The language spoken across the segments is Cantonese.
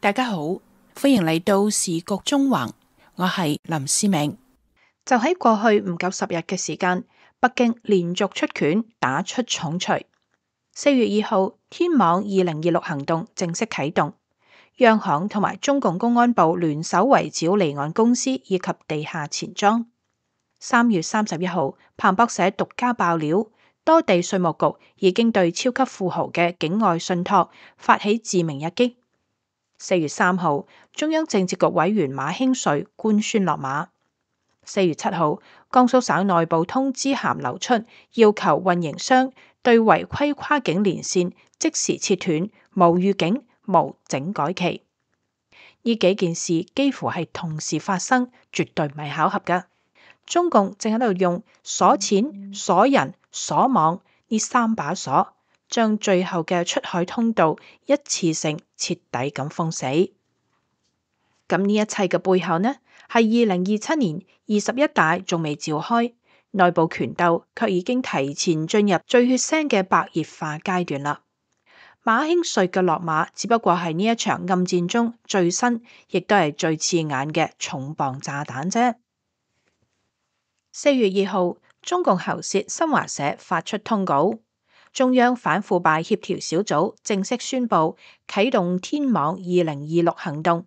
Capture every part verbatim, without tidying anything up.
大家好，歡迎嚟到時局中橫，我係林思明。就喺過去唔夠十日嘅時間，北京連續出拳打出重錘。四月二號，天網二零二六行動正式啟動，央行同埋中共公安部聯手圍剿離岸公司以及地下錢莊。三月三十一號，彭博社獨家爆料，多地稅務局已經對超級富豪嘅境外信託發起致命一擊。四月三號，中央政治局委員馬興瑞官宣落馬。四月七號，江蘇省內部通知函流出，要求運營商對違規跨境連線即時切斷，無預警、無整改期。呢幾件事幾乎係同時發生，絕對唔係巧合㗎。中共正喺度用鎖錢、鎖人、鎖網呢三把鎖，將最後嘅出海通道一次性徹底咁封死。咁呢一切嘅背後呢，係二零二七年二十一大仲未召開，內部權鬥卻已經提前進入最血腥嘅白熱化階段啦。馬興瑞嘅落馬只不過係呢一場暗戰中最新，亦都係最刺眼嘅重磅炸彈啫。四月二號，中共喉舌新華社發出通告，中央反腐敗協調小組正式宣布啟動天網二零二六行動。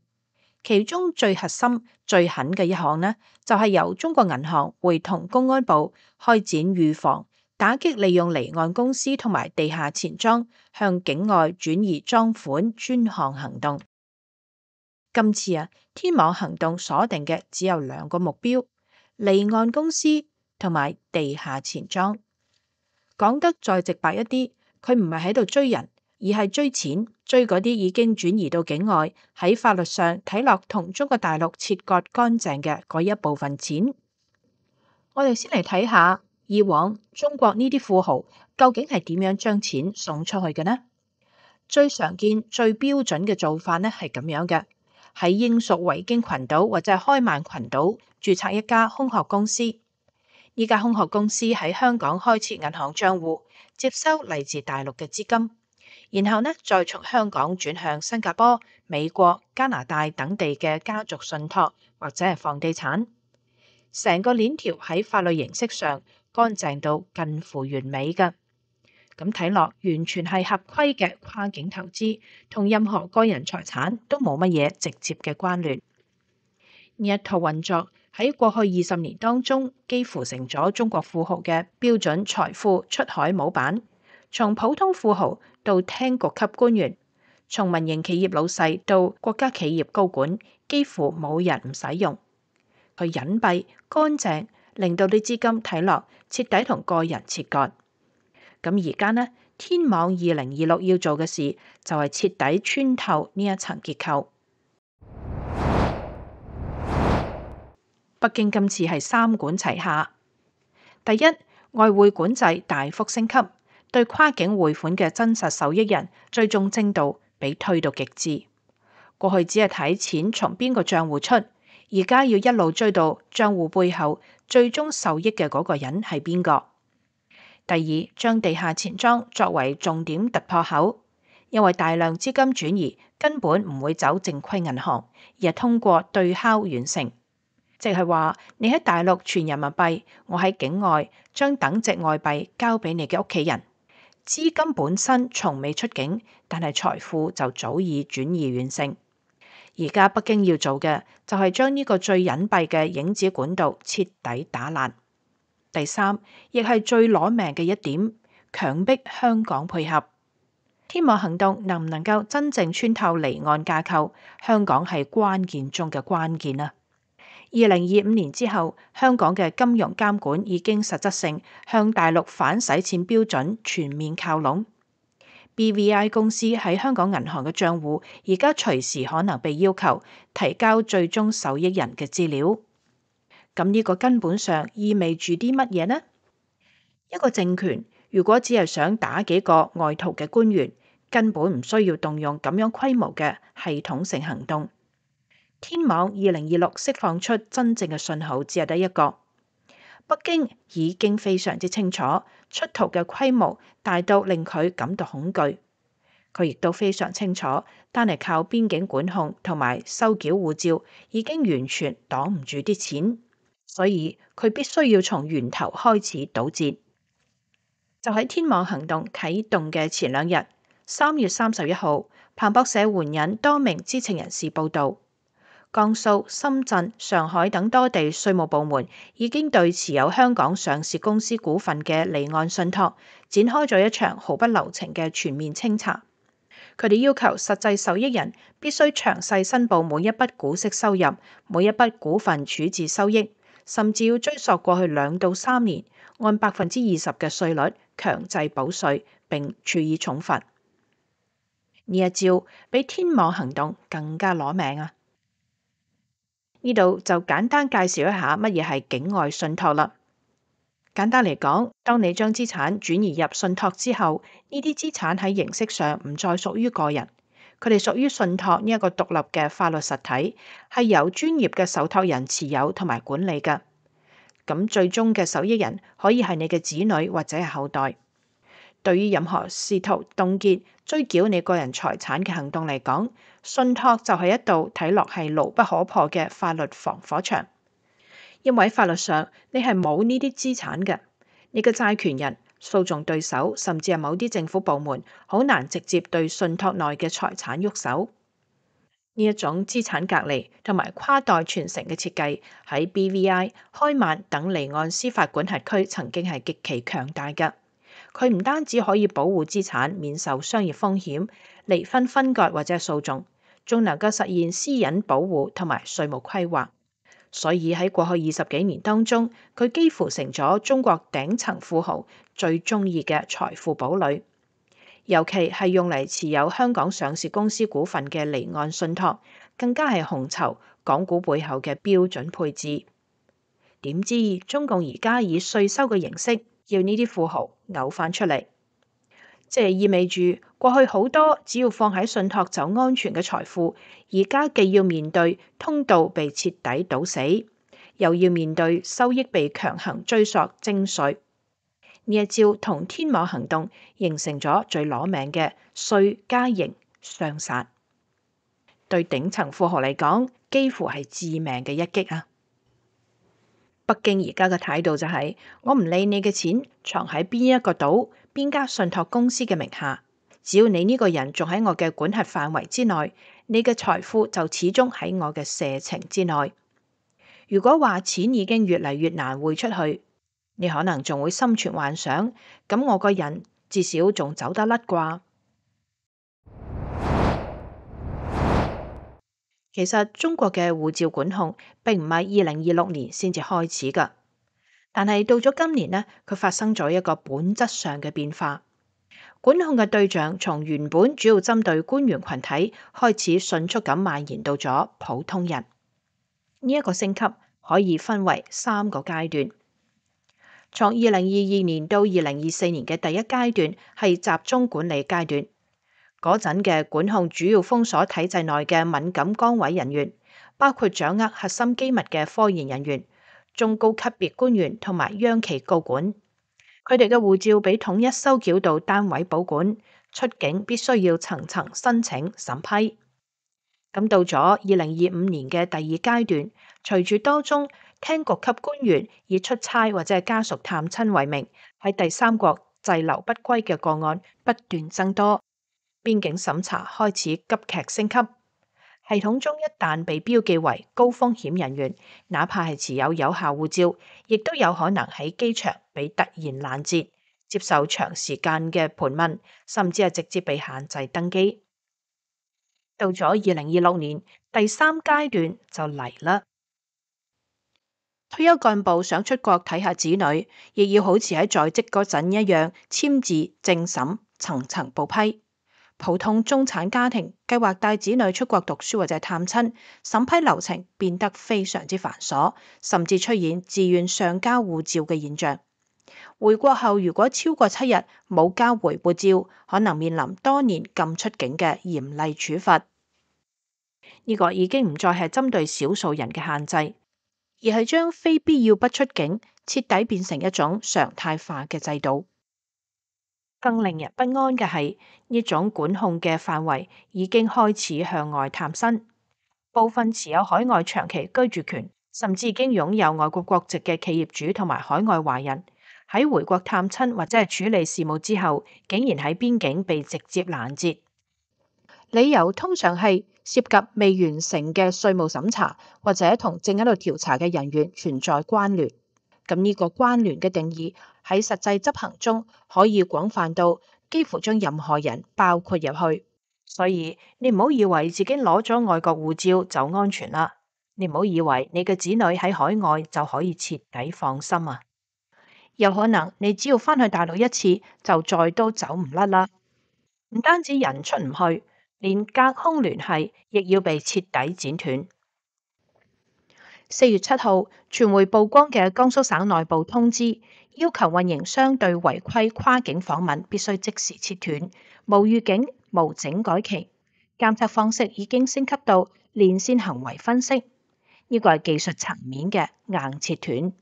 其中最核心、最狠嘅一項呢，就係由中國銀行會同公安部開展預防、打擊利用離岸公司同埋地下錢莊向境外轉移贓款專項行動。今次啊，天網行動鎖定嘅只有兩個目標：離岸公司同埋地下錢莊。講得再直白一啲，佢唔係喺度追人，而係追錢，追嗰啲已經轉移到境外，喺法律上睇落同中國大陸切割乾淨嘅嗰一部分錢。我哋先嚟睇下以往中國呢啲富豪究竟係點樣將錢送出去嘅呢？最常見、最標準嘅做法呢係咁樣嘅：喺英屬維京群島或者係開曼群島註冊一家空殼公司，呢家空殼公司喺香港開設銀行賬戶，接收嚟自大陸嘅資金。然後呢，再從香港轉向新加坡、美國、加拿大等地嘅家族信託或者係房地產，成個鏈條喺法律形式上乾淨到近乎完美㗎。咁睇落完全係合規嘅跨境投資，同任何個人財產都冇乜嘢直接嘅關聯。呢一套運作喺過去二十年當中，幾乎成咗中國富豪嘅標準財富出海模板。從普通富豪到廳局級官員，從民營企業老細到國家企業高管，幾乎冇人唔使用。佢隱蔽乾淨，令到啲資金睇落徹底同個人切割。咁而家呢，天網二零二六要做嘅事就係徹底穿透呢一層結構。北京今次係三管齊下：第一，外匯管制大幅升級。對跨境匯款嘅真實受益人追蹤精度被推到極致。過去只係睇錢從邊個賬戶出，而家要一路追到賬戶背後最終受益嘅嗰個人係邊個。第二，將地下錢莊作為重點突破口，因為大量資金轉移根本唔會走正規銀行，而係通過對敲完成。即係話你喺大陸存人民幣，我喺境外將等值外幣交俾你嘅屋企人。資金本身從未出境，但係財富就早已轉移完成。而家北京要做嘅就係將呢個最隱蔽嘅影子管道徹底打爛。第三，亦係最攞命嘅一點，強迫香港配合。天網行動能唔能夠真正穿透離岸架構，香港係關鍵中嘅關鍵啊！二零二五年之後，香港嘅金融監管已經實質性向大陸反洗錢標準全面靠攏。B V I 公司喺香港銀行嘅賬戶，而家隨時可能被要求提交最終受益人嘅資料。咁呢個根本上意味住啲乜嘢呢？一個政權如果只係想打幾個外逃嘅官員，根本唔需要動用咁樣規模嘅系統性行動。天網二零二六釋放出真正嘅信號只係得一個，北京已經非常之清楚出逃嘅規模大到令佢感到恐懼。佢亦都非常清楚，單係靠邊境管控同埋收繳護照已經完全擋唔住啲錢，所以佢必須要從源頭開始堵截。就喺天網行動啟動嘅前兩日，三月三十一號，彭博社援引多名知情人士報導，江蘇、深圳、上海等多地稅務部門已經對持有香港上市公司股份嘅離岸信託展開咗一場毫不留情嘅全面清查。佢哋要求實際受益人必須詳細申報每一筆股息收入、每一筆股份處置收益，甚至要追溯過去兩到三年，按百分之二十嘅稅率強制補稅並處以重罰。呢一招比天網行動更加攞命啊！呢度就簡單介紹一下乜嘢係境外信託啦。簡單嚟講，當你將資產轉移入信託之後，呢啲資產喺形式上唔再屬於個人，佢哋屬於信託呢一個獨立嘅法律實體，係由專業嘅受託人持有同埋管理嘅。咁最終嘅受益人可以係你嘅子女或者係後代。對於任何試圖凍結、追繳你個人財產嘅行動嚟講，信託就係一道睇落係牢不可破嘅法律防火牆。因為喺法律上，你係冇呢啲資產嘅，你嘅債權人、訴訟對手，甚至係某啲政府部門，好難直接對信託內嘅財產喐手。呢一種資產隔離同埋跨代傳承嘅設計，喺 B V I、開曼等離岸司法管轄區曾經係極其強大嘅。佢唔單止可以保護資產免受商業風險、離婚分割或者係訴訟，仲能夠實現私隱保護同埋稅務規劃。所以喺過去二十幾年當中，佢幾乎成咗中國頂層富豪最中意嘅財富堡壘。尤其係用嚟持有香港上市公司股份嘅離岸信託，更加係紅籌港股背後嘅標準配置。點知中共而家以稅收嘅形式，要呢啲富豪嘔翻出嚟，即係意味住過去好多只要放喺信託就安全嘅財富，而家既要面對通道被徹底堵死，又要面對收益被強行追索徵稅。呢一招同天網行動形成咗最攞命嘅稅加刑雙殺，對頂層富豪嚟講，幾乎係致命嘅一擊啊！北京而家嘅態度就係，我唔理你嘅錢藏喺邊一個島、邊家信託公司嘅名下，只要你呢個人仲喺我嘅管轄範圍之內，你嘅財富就始終喺我嘅射程之內。如果話錢已經越嚟越難匯出去，你可能仲會心存幻想，咁我個人至少仲走得甩啩。其實中國嘅護照管控並唔係二零二六年先至開始㗎，但係到咗今年呢，佢發生咗一個本質上嘅變化。管控嘅對象從原本主要針對官員群體，開始迅速咁蔓延到咗普通人。呢一個升級可以分為三個階段。從二零二二年到二零二四年嘅第一階段係集中管理階段。嗰陣嘅管控主要封鎖體制內嘅敏感崗位人員，包括掌握核心機密嘅科研人員、中高級別官員同埋央企高管。佢哋嘅護照被統一收繳到單位保管，出境必須要層層申請審批。咁到咗二零二五年嘅第二階段，隨住多宗廳局級官員以出差或者係家屬探親為名喺第三國滯留不歸嘅個案不斷增多。邊境審查開始急劇升級，系統中一旦被標記為高風險人員，哪怕係持有有效護照，亦都有可能喺機場被突然攔截，接受長時間嘅盤問，甚至係直接被限制登機。到咗二零二六年，第三階段就嚟啦。退休幹部想出國睇下子女，亦要好似喺在職嗰陣一樣簽字證審，層層報批。普通中產家庭計劃帶子女出國讀書或者探親，審批流程變得非常之繁瑣，甚至出現自願上交護照嘅現象。回國後如果超過七日冇交回護照，可能面臨多年禁出境嘅嚴厲處罰。呢個已經唔再係針對少數人嘅限制，而係將非必要不出境徹底變成一種常態化嘅制度。更令人不安嘅係，呢種管控嘅範圍已經開始向外探伸，部分持有海外長期居住權，甚至已經擁有外國國籍嘅企業主同埋海外華人，喺回國探親或者係處理事務之後，竟然喺邊境被直接攔截。理由通常係涉及未完成嘅稅務審查，或者同正喺度調查嘅人員存在關聯。咁呢個關聯嘅定義喺實際執行中可以廣泛到幾乎將任何人包括入去。所以你唔好以為自己攞咗外國護照就安全啦，你唔好以為你嘅子女喺海外就可以徹底放心啊！有可能你只要返去大陸一次就再都走唔甩啦。唔單止人出唔去，連隔空聯繫亦要被徹底剪斷。四月七號，傳媒曝光嘅江蘇省內部通知，要求運營商對違規跨境訪問必須即時切斷，無預警、無整改期。監測方式已經升級到連線行為分析，呢個係技術層面嘅硬切斷。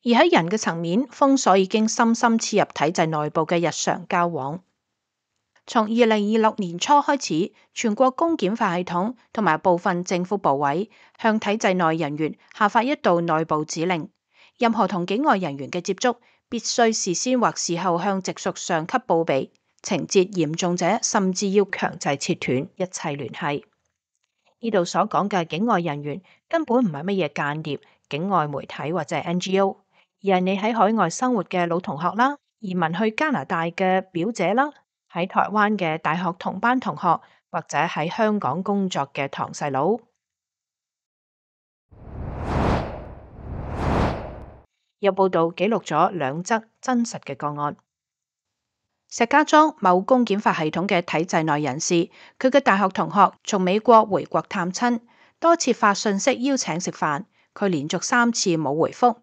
而喺人嘅層面，封鎖已經深深刺入體制內部嘅日常交往。從二零二六年初開始，全國公檢法系統同埋部分政府部委向體制內人員下發一道內部指令，任何同境外人員嘅接觸必須事先或事後向直屬上級報備，情節嚴重者甚至要強制切斷一切聯繫。呢度所講嘅境外人員根本唔係乜嘢間諜、境外媒體或者係 N G O， 而係你喺海外生活嘅老同學啦，移民去加拿大嘅表姐啦，喺台灣嘅大學同班同學，或者喺香港工作嘅堂細佬。有報道記錄咗兩則真實嘅個案。石家莊某公檢法系統嘅體制內人士，佢嘅大學同學從美國回國探親，多次發信息邀請食飯，佢連續三次冇回覆。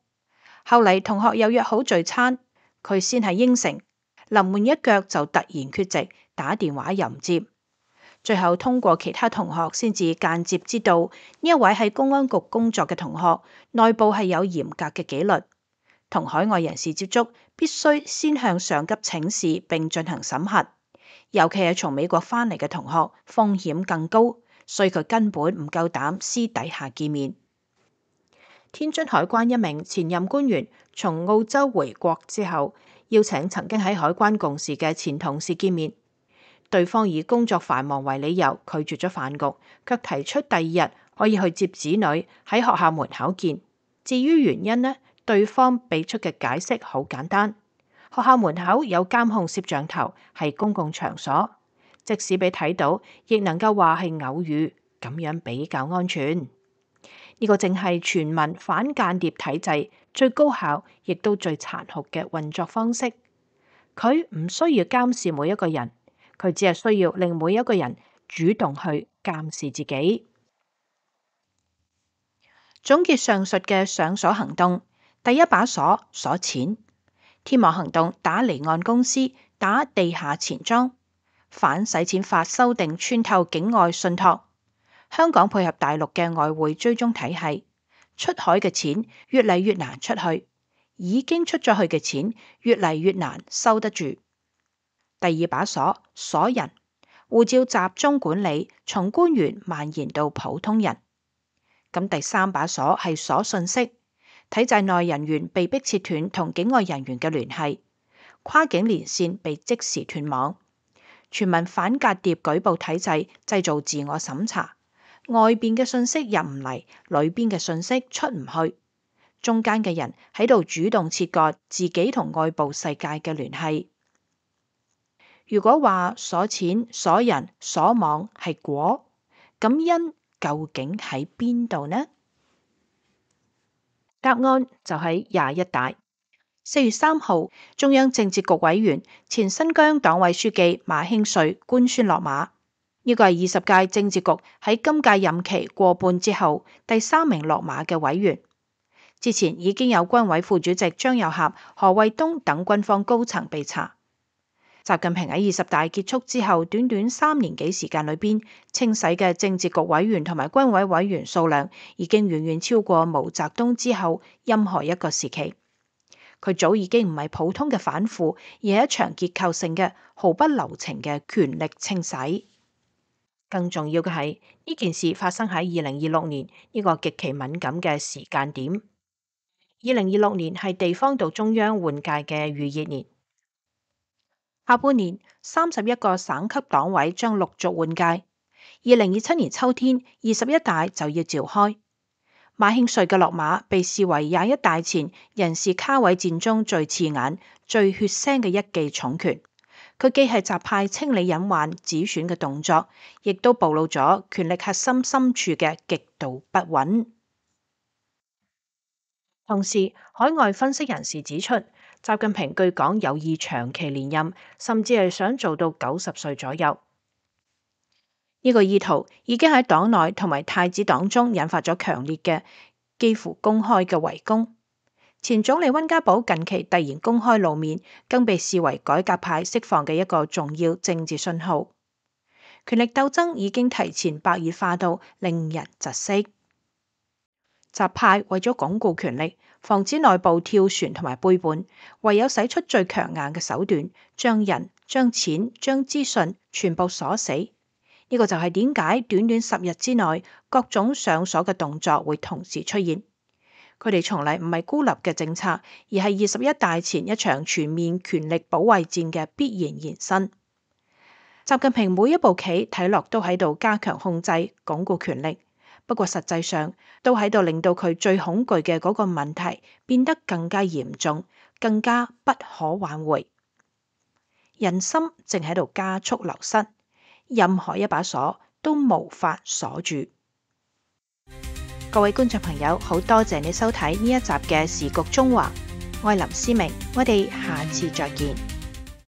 後嚟同學又約好聚餐，佢先係應承，臨門一腳就突然缺席，打電話又唔接。最後通過其他同學先至間接知道，呢一位喺公安局工作嘅同學，內部係有嚴格嘅紀律，同海外人士接觸必須先向上級請示並進行審核，尤其係從美國返嚟嘅同學，風險更高，所以佢根本唔夠膽私底下見面。天津海關一名前任官員從澳洲回國之後，邀請曾經喺海關共事嘅前同事見面，對方以工作繁忙為理由拒絕咗飯局，卻提出第二日可以去接子女喺學校門口見。至於原因呢，對方俾出嘅解釋好簡單，學校門口有監控攝像頭，係公共場所，即使俾睇到，亦能夠話係偶遇，咁樣比較安全。呢個正係全民反間諜體制最高效亦都最殘酷嘅運作方式。佢唔需要監視每一個人，佢只係需要令每一個人主動去監視自己。總結上述嘅上鎖行動，第一把鎖鎖錢，天網行動打離岸公司，打地下錢莊，反洗錢法修訂穿透境外信託。香港配合大陸嘅外匯追蹤體系，出海嘅錢越嚟越難出去，已經出咗去嘅錢越嚟越難收得住。第二把鎖鎖人，護照集中管理，從官員蔓延到普通人。咁第三把鎖係鎖信息，體制內人員被迫切斷同境外人員嘅聯繫，跨境連線被即時斷網，全民反間諜舉報體制製造自我審查。外邊嘅信息入唔嚟，裏邊嘅信息出唔去，中間嘅人喺度主動切割自己同外部世界嘅聯繫。如果話鎖錢、鎖人、鎖網係果，咁因究竟喺邊度呢？答案就喺廿一大。四月三號，中央政治局委員、前新疆黨委書記馬興瑞官宣落馬。呢個係二十屆政治局喺今屆任期過半之後第三名落馬嘅委員。之前已經有軍委副主席張又俠、何衛東等軍方高層被查。習近平喺二十大結束之後，短短三年幾時間裏邊，清洗嘅政治局委員同埋軍委委員數量已經遠遠超過毛澤東之後任何一個時期。佢早已經唔係普通嘅反腐，而係一場結構性嘅毫不留情嘅權力清洗。更重要嘅係，呢件事發生喺二零二六年呢個極其敏感嘅時間點。二零二六年係地方到中央換屆嘅預熱年，下半年三十一個省級黨委將陸續換屆。二零二七年秋天二十一大就要召開。馬興瑞嘅落馬被視為廿一大前人事卡位戰中最刺眼、最血腥嘅一記重拳。佢既係習派清理隱患止選嘅動作，亦都暴露咗權力核心深處嘅極度不穩。同時，海外分析人士指出，習近平據講有意長期連任，甚至係想做到九十歲左右。呢個意圖已經喺黨內同埋太子黨中引發咗強烈嘅、幾乎公開嘅圍攻。前總理溫家寶近期突然公開露面，更被視為改革派釋放嘅一個重要政治信號。權力鬥爭已經提前白熱化到令人窒息。習派為咗鞏固權力，防止內部跳船同埋背叛，唯有使出最強硬嘅手段，將人、將錢、將資訊全部鎖死。呢個就係點解短短十日之內，各種上鎖嘅動作會同時出現。佢哋從嚟唔係孤立嘅政策，而係二十一大前一場全面權力保衛戰嘅必然延伸。習近平每一步棋睇落都喺度加強控制、鞏固權力，不過實際上都喺度令到佢最恐懼嘅嗰個問題變得更加嚴重、更加不可挽回。人心正喺度加速流失，任何一把鎖都無法鎖住。各位觀眾朋友，好多謝你收睇呢一集嘅時局中華，我係林思明，我哋下次再見。